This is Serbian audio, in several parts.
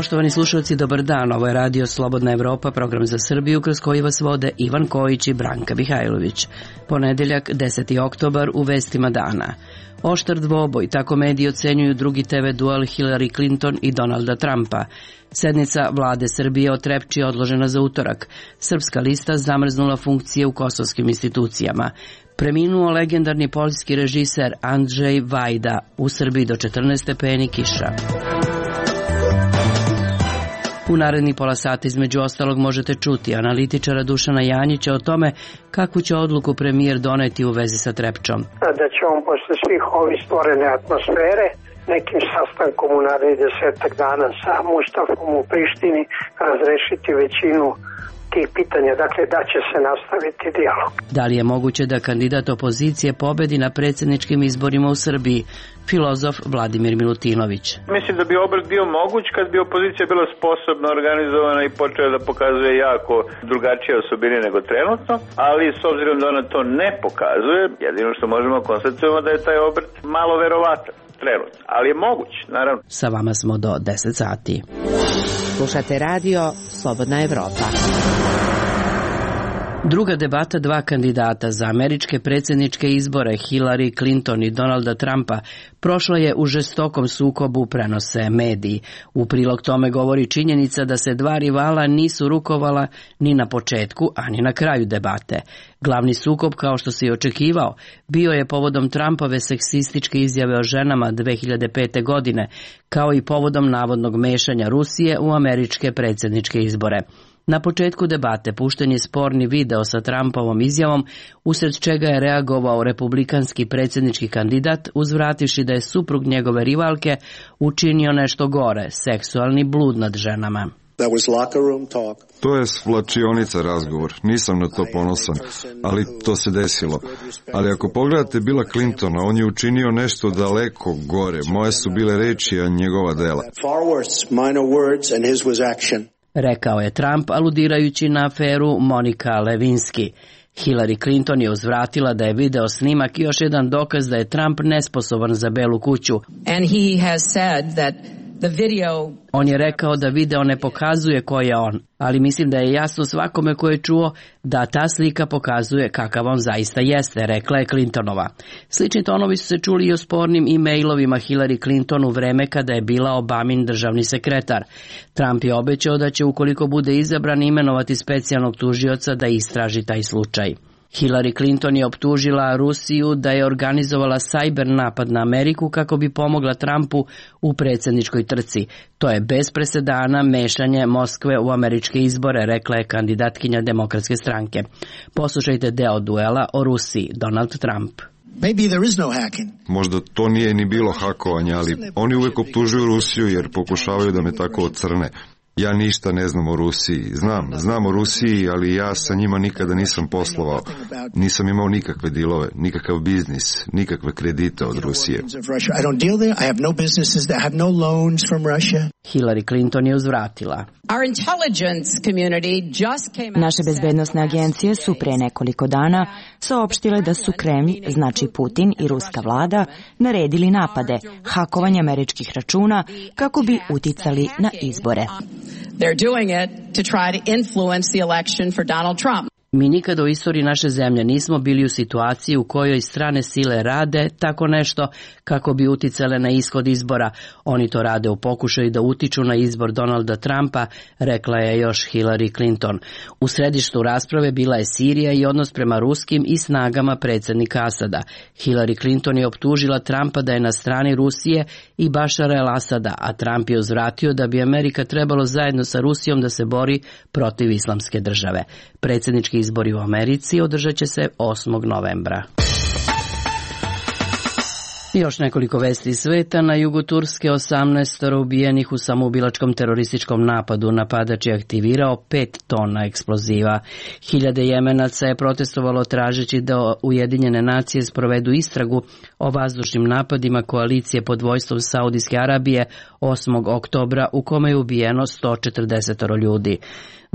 Poštovani slušalci, dobar dan. Ovo je Radio Slobodna Evropa, program za Srbiju, kroz koji vas vode Ivan Kojić i Branka Mihajlović. Ponedeljak, 10. oktobar, u vestima dana. Oštar dvoboj, tako mediji ocenjuju drugi TV duel Hillary Clinton i Donalda Trumpa. Sednica vlade Srbije o Trepči odložena za utorak. Srpska lista zamrznula funkcije u kosovskim institucijama. Preminuo legendarni poljski režiser Andrzej Vajda, u Srbiji do 14 stepeni kiša. U narednih pola sata između ostalog možete čuti analitičara Dušana Janjića o tome kakvu će odluku premijer doneti u vezi sa Trepčom. Da će on posle svih ovih stvorene atmosfere nekim sastankom u narednih 10 dana sa Mustafom u Prištini razrešiti većinu tih pitanja, dakle da će se nastaviti dijalog. Da li je moguće da kandidat opozicije pobedi na predsjedničkim izborima u Srbiji? Filozof Vladimir Milutinović. Mislim da bi obrt bio moguć kad bi opozicija bila sposobna, organizovana i počela da pokazuje jako drugačije osobine nego trenutno, ali s obzirom da ona to ne pokazuje, jedino što možemo konstatovati da je taj obrt malo verovatan. Trenutno, ali je moguć, naravno. Sa vama smo do 10 sati. Slušate radio Slobodna Evropa. Druga debata dva kandidata za američke predsjedničke izbore, Hillary Clinton i Donalda Trumpa, prošla je u žestokom sukobu, prenose mediji. U prilog tome govori činjenica da se dva rivala nisu rukovala ni na početku, a ni na kraju debate. Glavni sukob, kao što se i očekivao, bio je povodom Trumpove seksističke izjave o ženama 2005. godine, kao i povodom navodnog mešanja Rusije u američke predsjedničke izbore. Na početku debate pušten je sporni video sa Trumpovom izjavom, usred čega je reagovao republikanski predsjednički kandidat, uzvrativši da je suprug njegove rivalke učinio nešto gore, seksualni blud nad ženama. To je svlačionica razgovor, nisam na to ponosan, ali to se desilo. Ali ako pogledate Billa Clintona, on je učinio nešto daleko gore, moje su bile reči, a njegova dela. Rekao je Trump, aludirajući na aferu Monika Lewinsky. Hillary Clinton je uzvratila da je video snimak još jedan dokaz da je Trump nesposoban za Belu kuću. On je rekao da video ne pokazuje ko je on, ali mislim da je jasno svakome ko je čuo da ta slika pokazuje kakav on zaista jeste, rekla je Clintonova. Slični tonovi su se čuli i o spornim e-mailovima Hillary Clinton u vreme kada je bila Obamin državni sekretar. Trump je obećao da će, ukoliko bude izabran, imenovati specijalnog tužioca da istraži taj slučaj. Hillary Clinton je optužila Rusiju da je organizovala sajber napad na Ameriku kako bi pomogla Trumpu u predsjedničkoj trci. To je bez presedana mešanje Moskve u američke izbore, rekla je kandidatkinja Demokratske stranke. Poslušajte deo duela o Rusiji, Donald Trump. Možda to nije ni bilo hakovanja, ali oni uvijek optužuju Rusiju jer pokušavaju da me tako ocrne. Ja ništa ne znam o Rusiji. Znam o Rusiji, ali ja sa njima nikada nisam poslovao. Nisam imao nikakve dilove, nikakav biznis, nikakve kredite od Rusije. Hillary Clinton je uzvratila. Naše bezbednosne agencije su pre nekoliko dana saopštile da su Kremlj, znači Putin i ruska vlada, naredili napade, hakovanje američkih računa kako bi uticali na izbore. They're doing it to try to influence the election for Donald Trump. Mi nikada u istoriji naše zemlje nismo bili u situaciji u kojoj strane sile rade tako nešto kako bi uticale na ishod izbora. Oni to rade u pokušaju da utiču na izbor Donalda Trumpa, rekla je još Hillary Clinton. U središtu rasprave bila je Sirija i odnos prema ruskim i snagama predsjednika Asada. Hillary Clinton je optužila Trumpa da je na strani Rusije i Bašara el-Asada, a Trump je uzvratio da bi Amerika trebalo zajedno sa Rusijom da se bori protiv islamske države. Predsjednički izbori u Americi održat će se 8. novembra. Još nekoliko vesti iz sveta. Na jugu Turske 18 ubijenih u samoubilačkom terorističkom napadu. Napadač je aktivirao 5 tona eksploziva. Hiljade Jemenaca je protestovalo tražeći da Ujedinjene nacije sprovedu istragu o vazdušnim napadima koalicije pod vojstvom Saudijske Arabije 8. oktobra u kome je ubijeno 140 ljudi.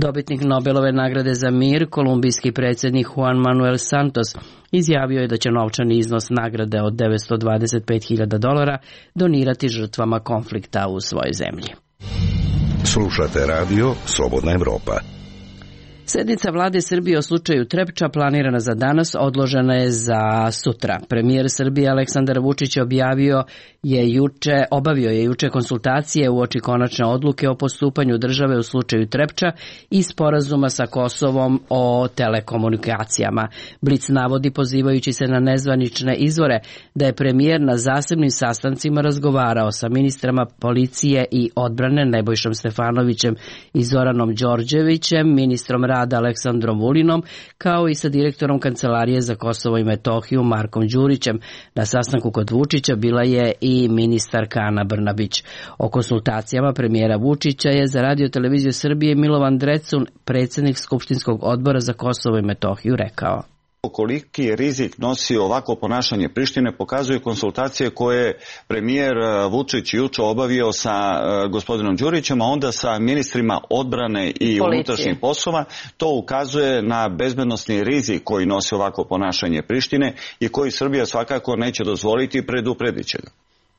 Dobitnik Nobelove nagrade za mir, kolumbijski predsjednik Juan Manuel Santos, izjavio je da će novčani iznos nagrade od $925.000 donirati žrtvama konflikta u svojoj zemlji. Slušate radio Slobodna Evropa. Sednica vlade Srbije o slučaju Trepča planirana za danas odložena je za sutra. Premijer Srbije Aleksandar Vučić obavio je juče konsultacije uoči konačne odluke o postupanju države u slučaju Trepča i sporazuma sa Kosovom o telekomunikacijama. Blic navodi, pozivajući se na nezvanične izvore, da je premijer na zasebnim sastancima razgovarao sa ministrama policije i odbrane Nebojšom Stefanovićem i Zoranom Đorđevićem, ministrom rada Aleksandrom Vulinom, kao i sa direktorom Kancelarije za Kosovo i Metohiju Markom Đurićem. Na sastanku kod Vučića bila je i ministarka Ana Brnabić. O konsultacijama premijera Vučića je za Radio televiziju Srbije Milovan Drecun, predsjednik Skupštinskog odbora za Kosovo i Metohiju, rekao: Koliki je rizik nosi ovako ponašanje Prištine pokazuju konsultacije koje premijer Vučić juče obavio sa gospodinom Đurićem, a onda sa ministrima odbrane i unutrašnjih poslova. To ukazuje na bezbednosni rizik koji nosi ovako ponašanje Prištine i koji Srbija svakako neće dozvoliti i predupredit će ga.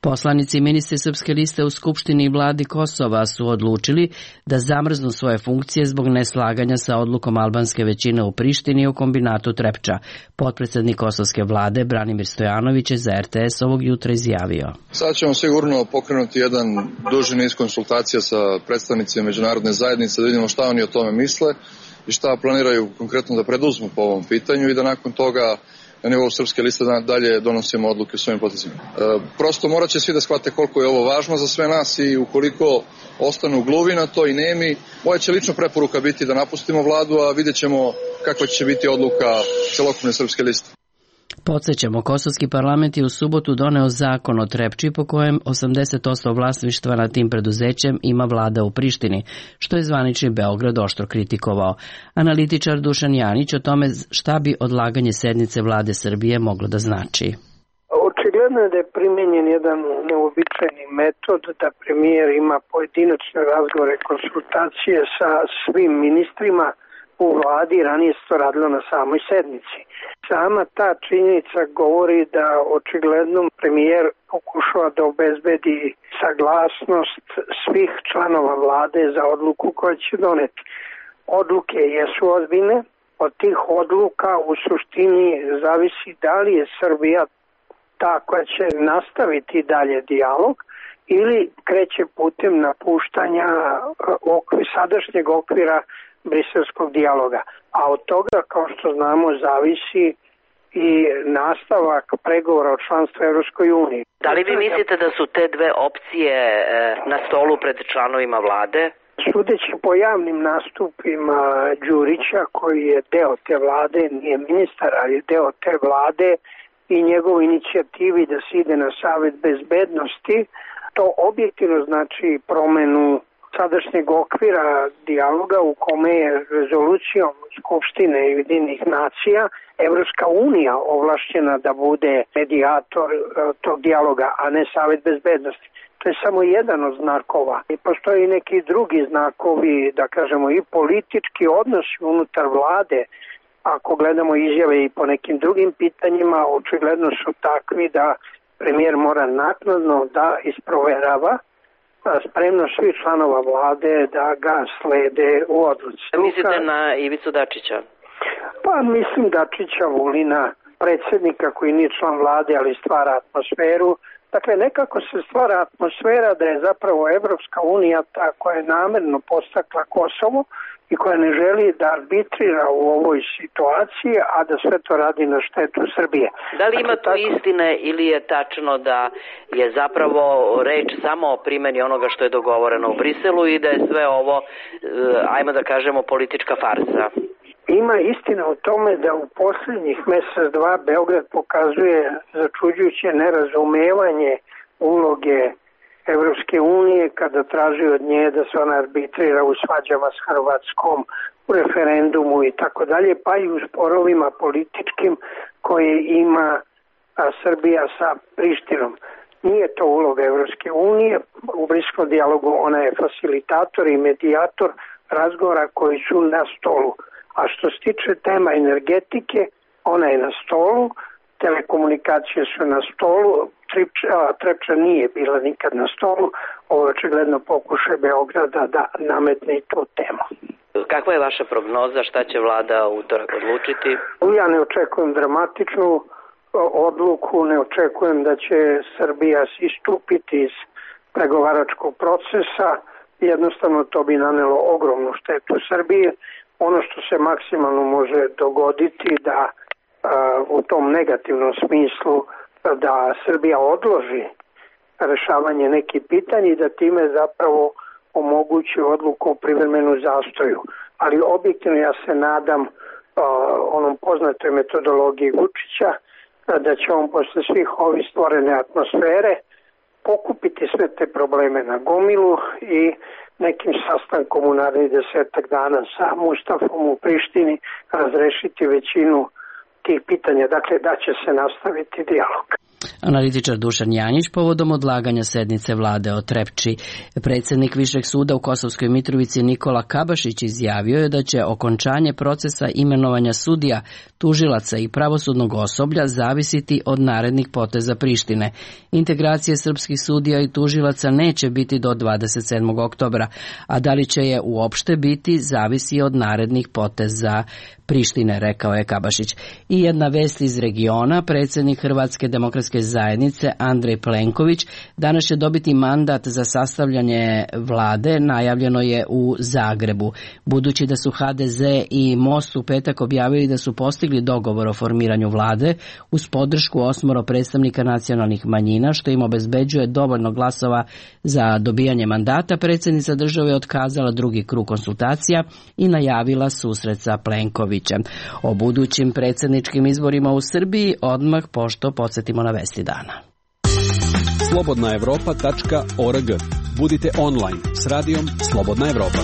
Poslanici i ministri Srpske liste u Skupštini i vladi Kosova su odlučili da zamrznu svoje funkcije zbog neslaganja sa odlukom albanske većine u Prištini o kombinatu Trepča. Potpredsjednik kosovske vlade Branimir Stojanović je za RTS ovog jutra izjavio: Sad ćemo sigurno pokrenuti jedan duži niz konsultacija sa predstavnicima međunarodne zajednice da vidimo šta oni o tome misle i šta planiraju konkretno da preduzmu po ovom pitanju i da nakon toga na nivou Srpske liste dalje donosimo odluke o svojim potezima. Prosto morat će svi da shvate koliko je ovo važno za sve nas i ukoliko ostanu gluvi na to i nemi, moja će lična preporuka biti da napustimo vladu, a vidjet ćemo kakva će biti odluka celokupne Srpske liste. Podsjećamo, kosovski parlament je u subotu doneo zakon o Trepči po kojem 80% vlasništva nad tim preduzećem ima vlada u Prištini, što je zvanični Beograd oštro kritikovao. Analitičar Dušan Janić o tome šta bi odlaganje sednice vlade Srbije moglo da znači. Očigledno je da je primenjen jedan neobičajni metod da premijer ima pojedinačne razgovore, konsultacije sa svim ministrima u vladi, ranije se to radilo na samoj sednici. Sama ta činjenica govori da očigledno premijer pokušava da obezbedi saglasnost svih članova vlade za odluku koju će doneti. Odluke jesu ozbiljne, od tih odluka u suštini zavisi da li je Srbija ta koja će nastaviti dalje dijalog ili kreće putem napuštanja sadašnjeg okvira briselskog dijaloga. A od toga, kao što znamo, zavisi i nastavak pregovora o članstvu Evropskoj uniji. Da li vi mislite da su te dve opcije na stolu pred članovima vlade? Sudeći po javnim nastupima Đurića, koji je deo te vlade, nije ministar, ali je deo te vlade, i njegovoj inicijativi da se ide na Savet bezbednosti, to objektivno znači promenu sadašnjeg okvira dijaloga u kome je rezolucijom Skupštine Ujedinjenih nacija Evropska unija ovlašćena da bude medijator tog dijaloga, a ne Savet bezbednosti. To je samo jedan od znakova. I postoje i neki drugi znakovi, da kažemo i politički odnosi unutar vlade. Ako gledamo izjave i po nekim drugim pitanjima, očigledno su takvi da premijer mora naknadno da isproverava spremno svih članova vlade da ga slede u odluci. Mislite na Ivicu Dačića? Pa mislim Dačića, Vulina, predsjednika koji nije član vlade, ali stvara atmosferu. Dakle, nekako se stvara atmosfera da je zapravo Evropska unija ta koja je namerno postakla Kosovo i koja ne želi da arbitrira u ovoj situaciji, a da sve to radi na štetu Srbije. Da li ima tu istine ili je tačno da je zapravo reč samo o primjeni onoga što je dogovoreno u Briselu i da je sve ovo, ajmo da kažemo, politička farsa? Ima istina u tome da u posljednjih mjesec, dva Beograd pokazuje začuđujuće nerazumevanje uloge Evropske unije kada traži od nje da se ona arbitrira u svađama s Hrvatskom, u referendumu i tako dalje, pa i u sporovima političkim koje ima Srbija sa Prištinom. Nije to uloga Evropske unije, u briskom dijalogu ona je facilitator i medijator razgovora koji su na stolu. A što se tiče tema energetike, ona je na stolu, telekomunikacije su na stolu, Trepča nije bila nikad na stolu, ovo je očigledno pokušaj Beograda da nametne i tu temu. Kakva je vaša prognoza, šta će vlada utorak odlučiti? Ja ne očekujem dramatičnu odluku, ne očekujem da će Srbija istupiti iz pregovaračkog procesa, jednostavno to bi nanelo ogromnu štetu Srbije. Ono što se maksimalno može dogoditi da u tom negativnom smislu da Srbija odloži rešavanje nekih pitanja i da time zapravo omogući odluku o privremenom zastoju. Ali objektivno ja se nadam onom poznatoj metodologiji Vučića da će on posle svih ovih stvorene atmosfere pokupiti sve te probleme na gomilu i nekim sastankom u narednih 10 dana sa Mustafom u Prištini razrešiti većinu tih pitanja. Dakle, da će se nastaviti dijalog. Analitičar Dušan Janjić povodom odlaganja sednice vlade o Trepči. Predsjednik Višeg suda u Kosovskoj Mitrovici Nikola Kabašić izjavio je da će okončanje procesa imenovanja sudija, tužilaca i pravosudnog osoblja zavisiti od narednih poteza Prištine. Integracije srpskih sudija i tužilaca neće biti do 27. oktobra, a da li će je uopšte biti zavisi od narednih poteza Prištine, rekao je Kabašić. I jedna vest iz regiona, predsjednik Hrvatske demokratske zajednice Andrej Plenković danas će dobiti mandat za sastavljanje vlade, najavljeno je u Zagrebu. Budući da su HDZ i Most u petak objavili da su postigli dogovor o formiranju vlade uz podršku 8 predstavnika nacionalnih manjina, što im obezbeđuje dovoljno glasova za dobijanje mandata, predsjednica države je otkazala drugi krug konsultacija i najavila susret sa Plenkovićem. O budućim predsjedničkim izborima u Srbiji odmah pošto podsjetimo na vesti dana. Slobodnaevropa.org. Budite online s radijom Slobodna Evropa.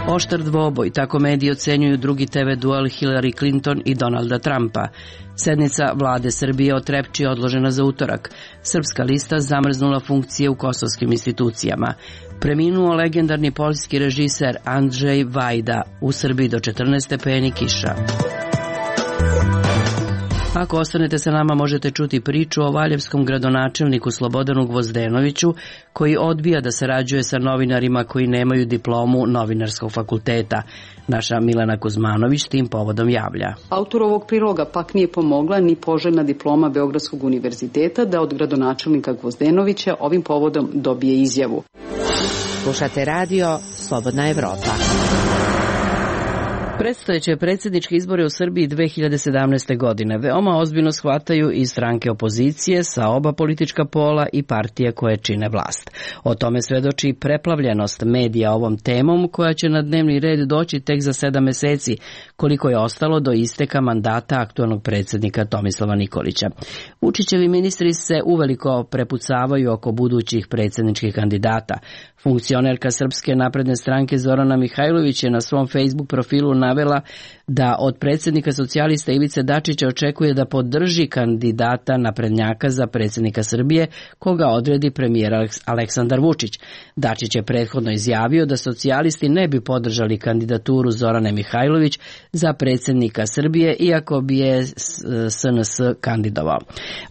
Oštar dvoboj, tako mediji ocenjuju drugi TV duel Hillary Clinton i Donalda Trumpa. Sednica vlade Srbije o Trepči odložena za utorak. Srpska lista zamrznula funkcije u kosovskim institucijama. Preminuo legendarni poljski režiser Andrzej Vajda, u Srbiji do 14 stepeni kiša. Ako ostanete sa nama, možete čuti priču o valjevskom gradonačelniku Slobodanu Gvozdenoviću, koji odbija da sarađuje sa novinarima koji nemaju diplomu novinarskog fakulteta. Naša Milena Kuzmanović tim povodom javlja. Autor ovog priloga pak nije pomogla ni poželjna diploma Beogradskog univerziteta da od gradonačelnika Gvozdenovića ovim povodom dobije izjavu. Slušate radio Slobodna Evropa. Predstojeće predsjedničke izbore u Srbiji 2017. godine veoma ozbiljno shvataju i stranke opozicije sa oba politička pola i partije koje čine vlast. O tome svedoči preplavljenost medija ovom temom koja će na dnevni red doći tek za 7 meseci, koliko je ostalo do isteka mandata aktualnog predsjednika Tomislava Nikolića. Vučićevi ministri se uveliko prepucavaju oko budućih predsjedničkih kandidata. Funkcionerka Srpske napredne stranke Zorana Mihajlović je na svom Facebook profilu navela da od predsjednika socijalista Ivice Dačića očekuje da podrži kandidata naprednjaka za predsjednika Srbije, koga odredi premijer Aleksandar Vučić. Dačić je prethodno izjavio da socijalisti ne bi podržali kandidaturu Zorane Mihajlović za predsjednika Srbije, iako bi je SNS kandidovao.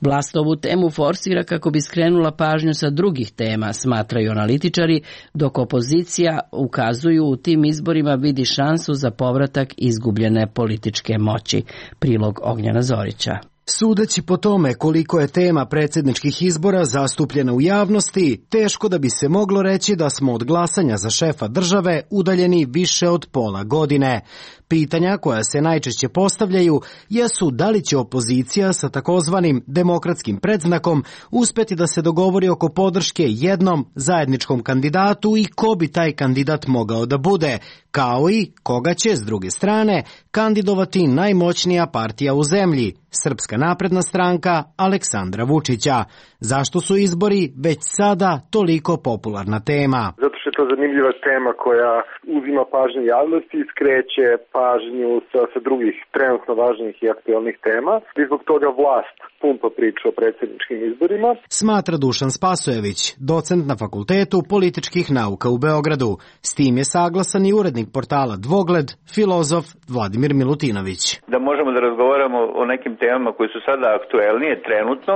Vlast ovu temu forsira kako bi skrenula pažnju sa drugih tema, smatraju analitičari, dok opozicija ukazuju u tim izborima vidi šansu za povratak izgubljene političke moći. Prilog Ognjena Zorića. Sudeći po tome koliko je tema predsjedničkih izbora zastupljena u javnosti, teško da bi se moglo reći da smo od glasanja za šefa države udaljeni više od pola godine. Pitanja koja se najčešće postavljaju jesu da li će opozicija sa takozvanim demokratskim predznakom uspjeti da se dogovori oko podrške jednom zajedničkom kandidatu i ko bi taj kandidat mogao da bude, kao i koga će, s druge strane, kandidovati najmoćnija partija u zemlji, Srpska napredna stranka Aleksandra Vučića. Zašto su izbori već sada toliko popularna tema? Zato što to zanimljiva tema koja uzima pažnju javnosti i skreće pažnju sa drugih trenutno važnih i aktuelnih tema. I zbog toga vlast pumpa priču o predsjedničkim izborima. Smatra Dušan Spasojević, docent na Fakultetu političkih nauka u Beogradu. S tim je saglasan i urednik portala Dvogled, filozof Vladimir Milutinović. Da možemo da razgovaramo o nekim temama koji su sada aktuelnije trenutno,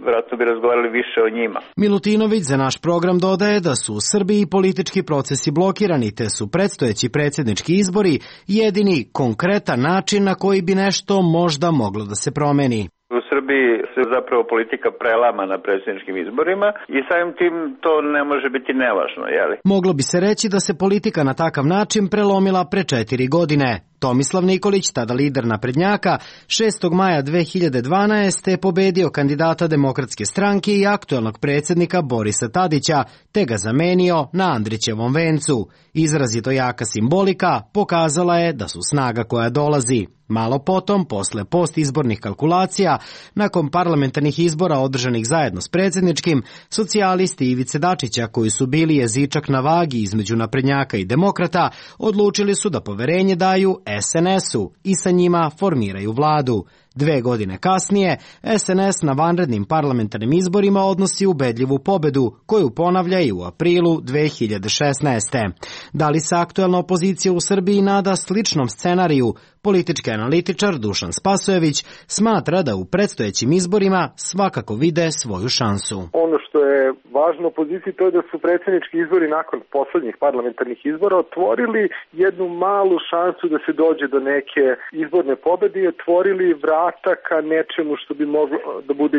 vjerojatno bi razgovarali više o njima. Milutinović za naš program dodaje da su u Srbiji politički procesi blokirani, te su predstojeći predsjednički izbori jedini konkretan način na koji bi nešto možda moglo da se promeni. U Srbiji se zapravo politika prelama na predsjedničkim izborima i samim tim to ne može biti nevažno, jeli? Moglo bi se reći da se politika na takav način prelomila pre 4 godine. Tomislav Nikolić, tada lider naprednjaka, 6. maja 2012. je pobedio kandidata Demokratske stranke i aktuelnog predsjednika Borisa Tadića, te ga zamenio na Andrićevom vencu. Izrazito jaka simbolika pokazala je da su snaga koja dolazi. Malo potom, posle postizbornih kalkulacija, nakon parlamentarnih izbora održanih zajedno s predsjedničkim, socijalisti Ivice Dačića, koji su bili jezičak na vagi između naprednjaka i demokrata, odlučili su da poverenje daju SNS-u i sa njima formiraju vladu. 2 godine kasnije, SNS na vanrednim parlamentarnim izborima odnosi ubedljivu pobedu, koju ponavlja i u aprilu 2016. Da li se aktuelna opozicija u Srbiji nada sličnom scenariju? Politički analitičar Dušan Spasojević smatra da u predstojećim izborima svakako vide svoju šansu. Ono što je važno opoziciji to je da su predsjednički izbori nakon poslednjih parlamentarnih izbora otvorili jednu malu šansu da se dođe do neke izborne pobede i otvorili vrata ka nečemu što bi moglo da bude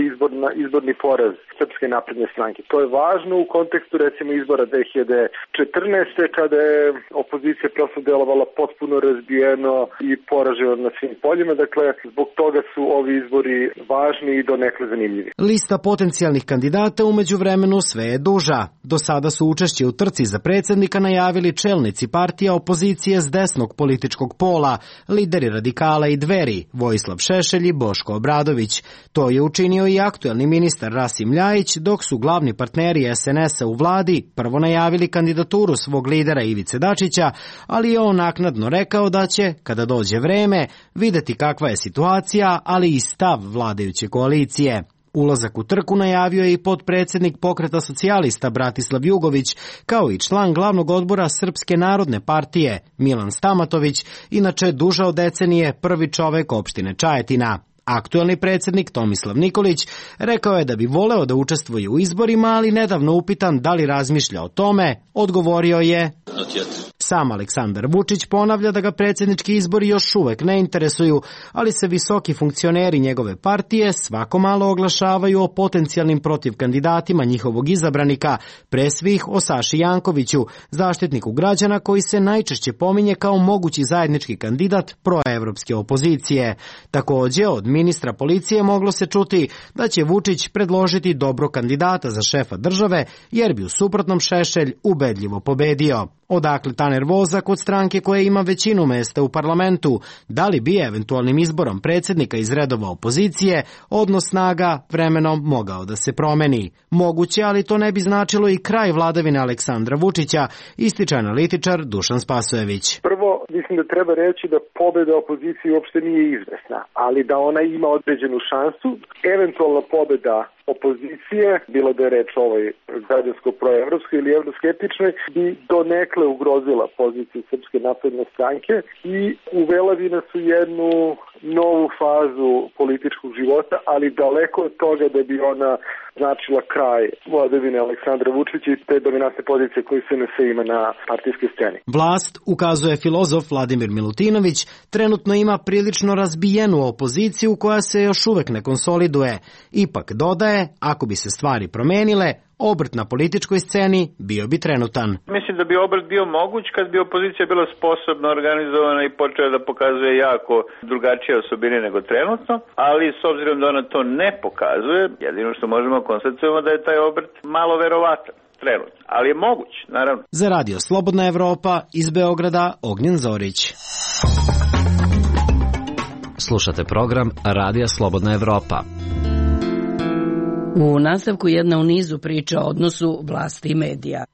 izborni poraz Srpske napredne stranke. To je važno u kontekstu recimo izbora 2014. kada je opozicija prosto delovala potpuno razbijeno i poraženo na svim poljima. Dakle, zbog toga su ovi izbori važni i donekle zanimljivi. Lista potencijalnih kandidata u međuvremenu sve je duža. Do sada su učešće u trci za predsjednika najavili čelnici partija opozicije s desnog političkog pola, lideri Radikala i Dveri, Vojislav Šešelj i Boško Obradović. To je učinio i aktuelni ministar Rasim Ljajić, dok su glavni partneri SNS-a u vladi prvo najavili kandidaturu svog lidera Ivice Dačića, ali je on naknadno rekao da će, kada dođe vreme, videti kakva je situacija, ali i stav vladajuće koalicije. Ulazak u trku najavio je i potpredsjednik Pokreta socijalista Bratislav Jugović, kao i član glavnog odbora Srpske narodne partije Milan Stamatović, inače duže od decenije prvi čovek opštine Čajetina. Aktuelni predsjednik Tomislav Nikolić rekao je da bi voleo da učestvuje u izborima, ali nedavno upitan da li razmišlja o tome, odgovorio je: Sam Aleksandar Vučić ponavlja da ga predsjednički izbori još uvek ne interesuju, ali se visoki funkcioneri njegove partije svako malo oglašavaju o potencijalnim protivkandidatima njihovog izabranika, pre svih o Saši Jankoviću, zaštitniku građana koji se najčešće pominje kao mogući zajednički kandidat proevropske opozicije. Također, od ministra policije moglo se čuti da će Vučić predložiti dobro kandidata za šefa države, jer bi u suprotnom Šešelj ubedljivo pobedio. Odakle ta nervoza kod stranke koja ima većinu mesta u parlamentu? Da li bi eventualnim izborom predsjednika iz redova opozicije odnos snaga vremenom mogao da se promeni? Moguće, ali to ne bi značilo i kraj vladavine Aleksandra Vučića, ističe analitičar Dušan Spasojević. Prvo, mislim da treba reći da pobeda opozicije uopšte nije izvesna, ali da ona ima određenu šansu. Eventualna pobeda opozicije, bilo da je reč o ovoj građansko-proevropskoj ili evroskeptičnoj, bi donekle ugrozila poziciju Srpske napredne stranke i uvela bi nas u jednu novu fazu političkog života, ali daleko od toga da bi ona značila kraj vladavine Aleksandra Vučića i te dominantne pozicije koje SNS ima na partijskoj sceni. Vlast, ukazuje filozof Vladimir Milutinović, trenutno ima prilično razbijenu opoziciju koja se još uvek ne konsoliduje. Ipak dodaje, ako bi se stvari promenile, obrt na političkoj sceni bio bi trenutan. Mislim da bi obrt bio moguć kad bi opozicija bila sposobna, organizovana i počela da pokazuje jako drugačije osobine nego trenutno, ali s obzirom da ona to ne pokazuje, jedino što možemo konstatovati da je taj obrt malo verovatan. Trenutno, ali je moguć, naravno. Za Radio Slobodna Evropa iz Beograda, Ognjen Zorić. Slušate program Radija Slobodna Evropa. U nastavku jedna u nizu priča o odnosu vlasti i medija.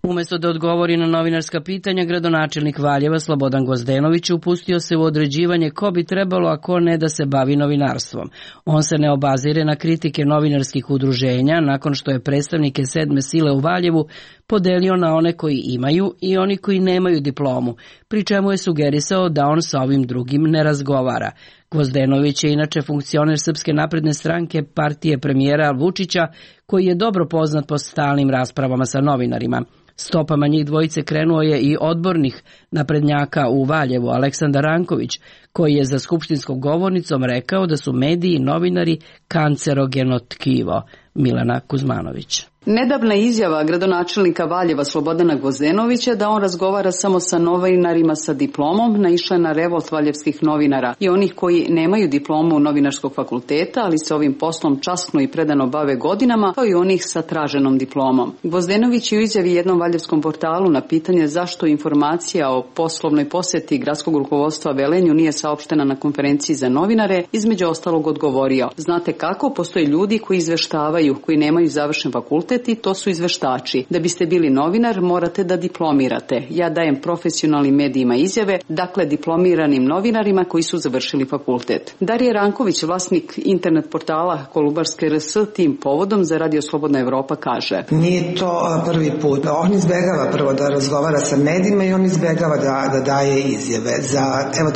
Umesto da odgovori na novinarska pitanja, gradonačelnik Valjeva Slobodan Gvozdenović upustio se u određivanje ko bi trebalo, a ko ne da se bavi novinarstvom. On se ne obazire na kritike novinarskih udruženja nakon što je predstavnike sedme sile u Valjevu podelio na one koji imaju i oni koji nemaju diplomu, pri čemu je sugerisao da on sa ovim drugim ne razgovara. Gvozdenović je inače funkcioner Srpske napredne stranke, partije premijera Vučića, koji je dobro poznat po stalnim raspravama sa novinarima. Stopama njih dvojice krenuo je i odbornik naprednjaka u Valjevu Aleksandar Ranković, koji je za skupštinskom govornicom rekao da su mediji i novinari kancerogeno tkivo. Milena Kuzmanović. Nedavna izjava gradonačelnika Valjeva Slobodana Gvozdenovića da on razgovara samo sa novinarima sa diplomom naišla na revolt valjevskih novinara i onih koji nemaju diplomu novinarskog fakulteta, ali se ovim poslom časno i predano bave godinama, kao i onih sa traženom diplomom. Gvozdenović je u izjavi jednom valjevskom portalu na pitanje zašto informacija o poslovnoj poseti gradskog rukovodstva Velenju nije saopštena na konferenciji za novinare, između ostalog odgovorio: znate kako, postoje ljudi koji izveštavaju, koji nemaju završen fakultet, i to su izveštači. Da biste bili novinar, morate da diplomirate. Ja dajem profesionalnim medijima izjave, dakle diplomiranim novinarima koji su završili fakultet. Darija Ranković, vlasnik internet portala Kolubarske RS, tim povodom za Radio Slobodna Evropa kaže: nije to prvi put. On izbegava prvo da razgovara sa medijima i on izbegava da daje izjave. Za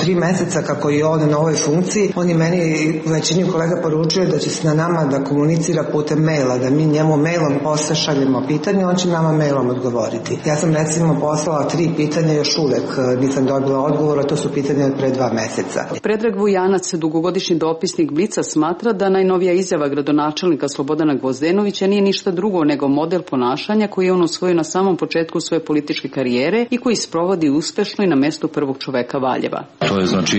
3 meseca kako je on na ovoj funkciji, on je meni većini kolega poručio da će se na nama da komunicira putem maila, da mi njemu mailom posle šaljemo pitanje, on će nama mailom odgovoriti. Ja sam recimo poslala 3 pitanja, još uvek nisam dobila odgovor, a to su pitanja od pre 2 meseca. Predrag Vujanac, dugogodišnji dopisnik Blica, smatra da najnovija izjava gradonačelnika Slobodana Gvozdenovića nije ništa drugo nego model ponašanja koji je on usvojio na samom početku svoje političke karijere i koji sprovodi uspešno i na mestu prvog čoveka Valjeva. To je znači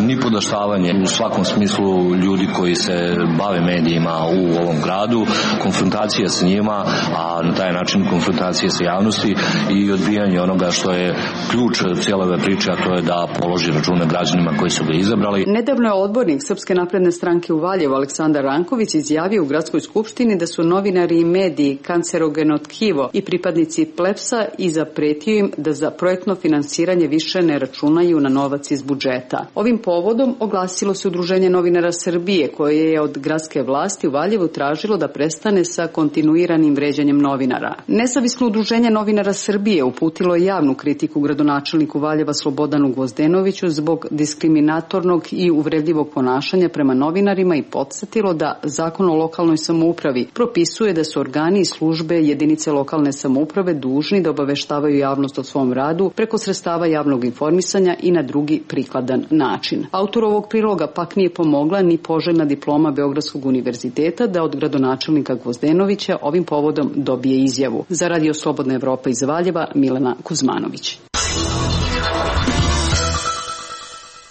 nipodaštavanje u svakom smislu ljudi koji se bave medijima u ovom gradu, konfrontacija s njima, a na taj način konfrontacije sa javnosti i odbijanje onoga što je ključ cijele ove priče, a to je da položi račune građanima koji su ga izabrali. Nedavno je odbornik Srpske napredne stranke u Valjevu Aleksandar Ranković izjavio u gradskoj skupštini da su novinari i mediji kancerogeno tkivo i pripadnici plebsa i zapretio im da za projektno finansiranje više ne računaju na novac iz budžeta. Ovim povodom oglasilo se Udruženje novinara Srbije, koje je od gradske vlasti u Valjevu tražilo da prestane sa kontinuiranim vređanjem novinara. Nezavisno Udruženje novinara Srbije uputilo je javnu kritiku gradonačelniku Valjeva Slobodanu Gvozdenoviću zbog diskriminatornog i uvredljivog ponašanja prema novinarima i podsjetilo da Zakon o lokalnoj samoupravi propisuje da su organi i službe jedinice lokalne samouprave dužni da obaveštavaju javnost o svom radu preko sredstava javnog informisanja i na drugi prikladan način. Autor ovog priloga pak nije pomogla ni poželjna diploma Beogradskog univerziteta da od gradonačelnika Gvozdenovića ovim povodom dobije izjavu. Za Radio Slobodna Evropa iz Valjeva, Milena Kuzmanović.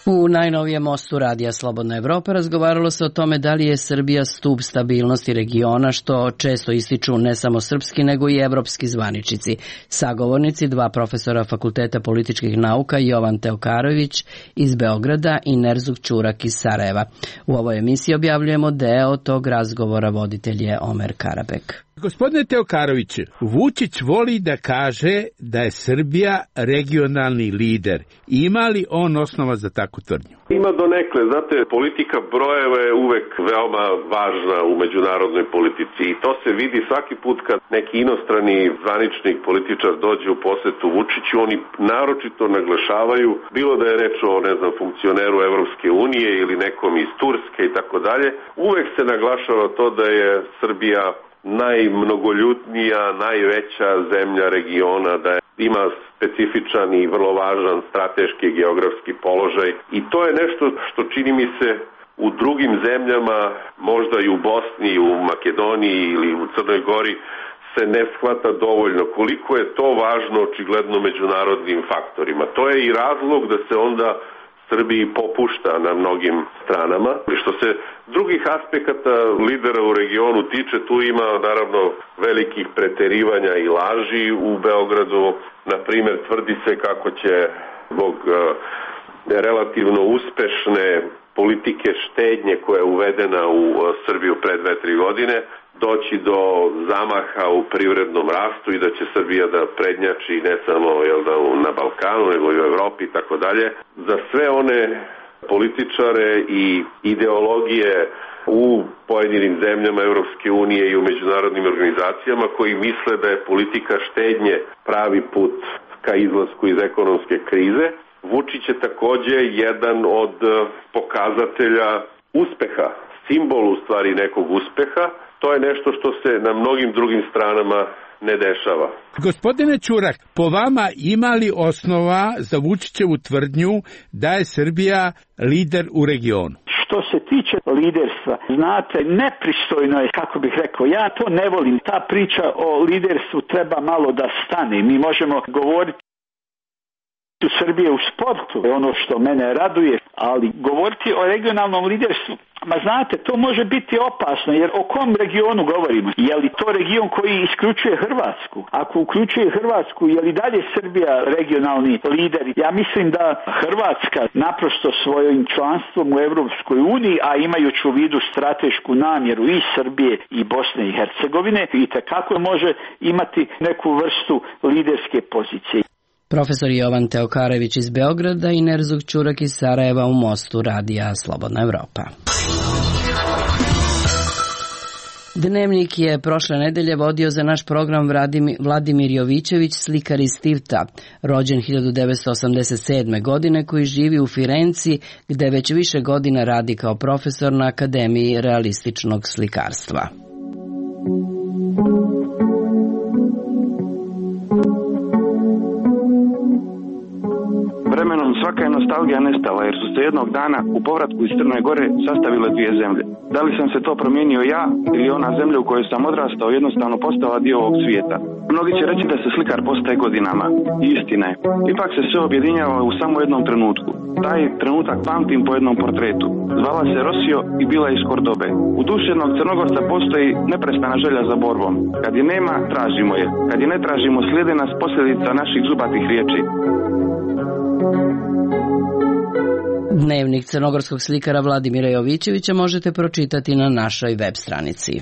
U najnovijem mostu Radija Slobodna Evropa razgovaralo se o tome da li je Srbija stub stabilnosti regiona, što često ističu ne samo srpski nego i evropski zvaničici. Sagovornici, 2 profesora Fakulteta političkih nauka, Jovan Teokarović iz Beograda i Nerzuk Ćurak iz Sarajeva. U ovoj emisiji objavljujemo deo tog razgovora, voditelj je Omer Karabek. Gospodine Teokarović, Vučić voli da kaže da je Srbija regionalni lider. Ima li on osnova za takvu tvrdnju? Ima donekle. Znate, politika brojeva je uvek veoma važna u međunarodnoj politici i to se vidi svaki put kad neki inostrani zvaničnik, političar dođe u posetu Vučiću, oni naročito naglašavaju, bilo da je reč o, funkcioneru Evropske unije ili nekom iz Turske i tako dalje, uvek se naglašava to da je Srbija najmnogoljudnija, najveća zemlja regiona, da ima specifičan i vrlo važan strateški geografski položaj i to je nešto što čini mi se u drugim zemljama, možda i u Bosni, u Makedoniji ili u Crnoj Gori se ne shvata dovoljno koliko je to važno očigledno međunarodnim faktorima. To je i razlog da se onda Srbiji popušta na mnogim stranama. Što se drugih aspekata lidera u regionu tiče, tu ima naravno velikih preterivanja i laži u Beogradu. Na primjer, tvrdi se kako će zbog relativno uspešne politike štednje koja je uvedena u Srbiju pre 2-3 godine doći do zamaha u privrednom rastu i da će Srbija da prednjači ne samo na Balkanu, nego i u Evropi i tako dalje. Za sve one političare i ideologije u pojedinim zemljama Evropske unije i u međunarodnim organizacijama koji misle da je politika štednje pravi put ka izlasku iz ekonomske krize, Vučić je takođe jedan od pokazatelja uspeha, simbol u stvari nekog uspeha. To je nešto što se na mnogim drugim stranama ne dešava. Gospodine Ćurak, po vama ima li osnova za Vučićevu tvrdnju da je Srbija lider u regionu? Što se tiče liderstva, znate, nepristojno je, kako bih rekao, ja to ne volim. Ta priča o liderstvu treba malo da stane. Mi možemo govoriti u Srbije u sportu, je ono što mene raduje, ali govoriti o regionalnom liderstvu, ma znate, to može biti opasno, jer o kom regionu govorimo? Je li to region koji isključuje Hrvatsku? Ako uključuje Hrvatsku, je li dalje Srbija regionalni lider? Ja mislim da Hrvatska naprosto svojim članstvom u Evropskoj uniji, a imajući u vidu stratešku namjeru i Srbije i Bosne i Hercegovine, itekako može imati neku vrstu liderske pozicije. Profesor Jovan Teokarević iz Beograda i Nerzug Ćurak iz Sarajeva u Mostu, radija Slobodna Evropa. Dnevnik je prošle nedelje vodio za naš program Vladimir Jovićević, slikar iz Tivta, rođen 1987. godine, koji živi u Firenci, gde već više godina radi kao profesor na Akademiji realističnog slikarstva. Vremenom svaka je nostalgija nestala jer su se jednog dana u povratku iz Crne Gore sastavile dvije zemlje. Da li sam se to promijenio ja ili ona zemlja u kojoj sam odrastao jednostavno postala dio ovog svijeta? Mnogi će reći da se slikar postaje godinama. I istina je. Ipak se sve objedinjava u samo jednom trenutku. Taj trenutak pamtim po jednom portretu. Zvala se Rosio i bila je iz Kordobe. U duši jednog Crnogorca postoji neprestana želja za borbom. Kad je nema, tražimo je. Kad je ne tražimo, slijede nas posljedica naših zubatih riječi. Dnevnik crnogorskog slikara Vladimira Jovićevića možete pročitati na našoj web stranici.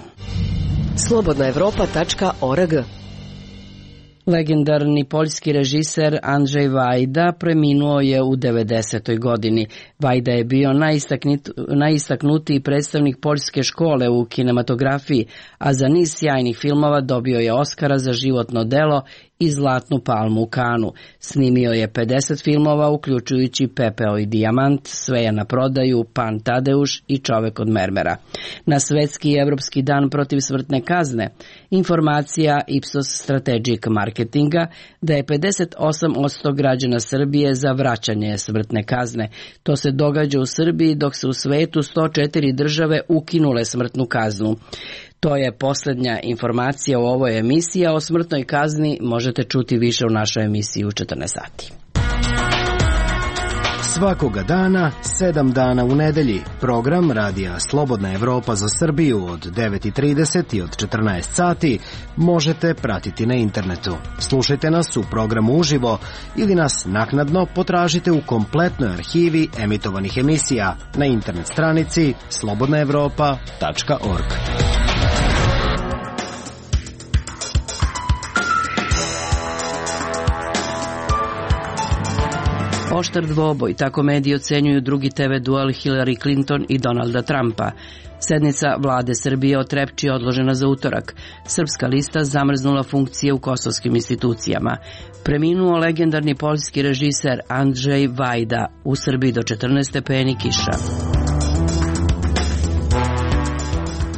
slobodnaevropa.org. Legendarni poljski režiser Andrzej Wajda preminuo je u 90. godini. Wajda je bio najistaknutiji predstavnik poljske škole u kinematografiji, a za niz sjajnih filmova dobio je Oskara za životno delo i Zlatnu palmu u Kanu. Snimio je 50 filmova, uključujući Pepeo i dijamant, Sve je na prodaju, Pan Tadeuš i Čovek od mermera. Na Svetski i Evropski dan protiv smrtne kazne informacija Ipsos Strategic Marketinga da je 58% građana Srbije za vraćanje smrtne kazne. To se događa u Srbiji dok se u svetu 104 države ukinule smrtnu kaznu. To je posljednja informacija u ovoj emisiji, a o smrtnoj kazni možete čuti više u našoj emisiji u 14 sati. Svakoga dana, 7 dana u nedelji, program radija Slobodna Evropa za Srbiju od 9:30 i od 14 sati možete pratiti na internetu. Slušajte nas u programu uživo ili nas naknadno potražite u kompletnoj arhivi emitovanih emisija na internet stranici slobodnaevropa.org. Oštar dvoboj, tako mediji ocenjuju drugi TV duel Hillary Clinton i Donalda Trumpa. Sednica vlade Srbije o Trepči je odložena za utorak. Srpska lista zamrznula funkcije u kosovskim institucijama. Preminuo legendarni poljski režiser Andrzej Wajda, u Srbiji do 14 stepeni kiša.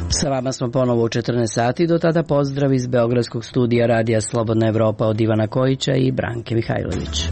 Sa vama smo ponovo u 14 sati, do tada pozdrav iz Beogradskog studija radija Slobodna Evropa od Ivana Kojića i Branke Mihajlović.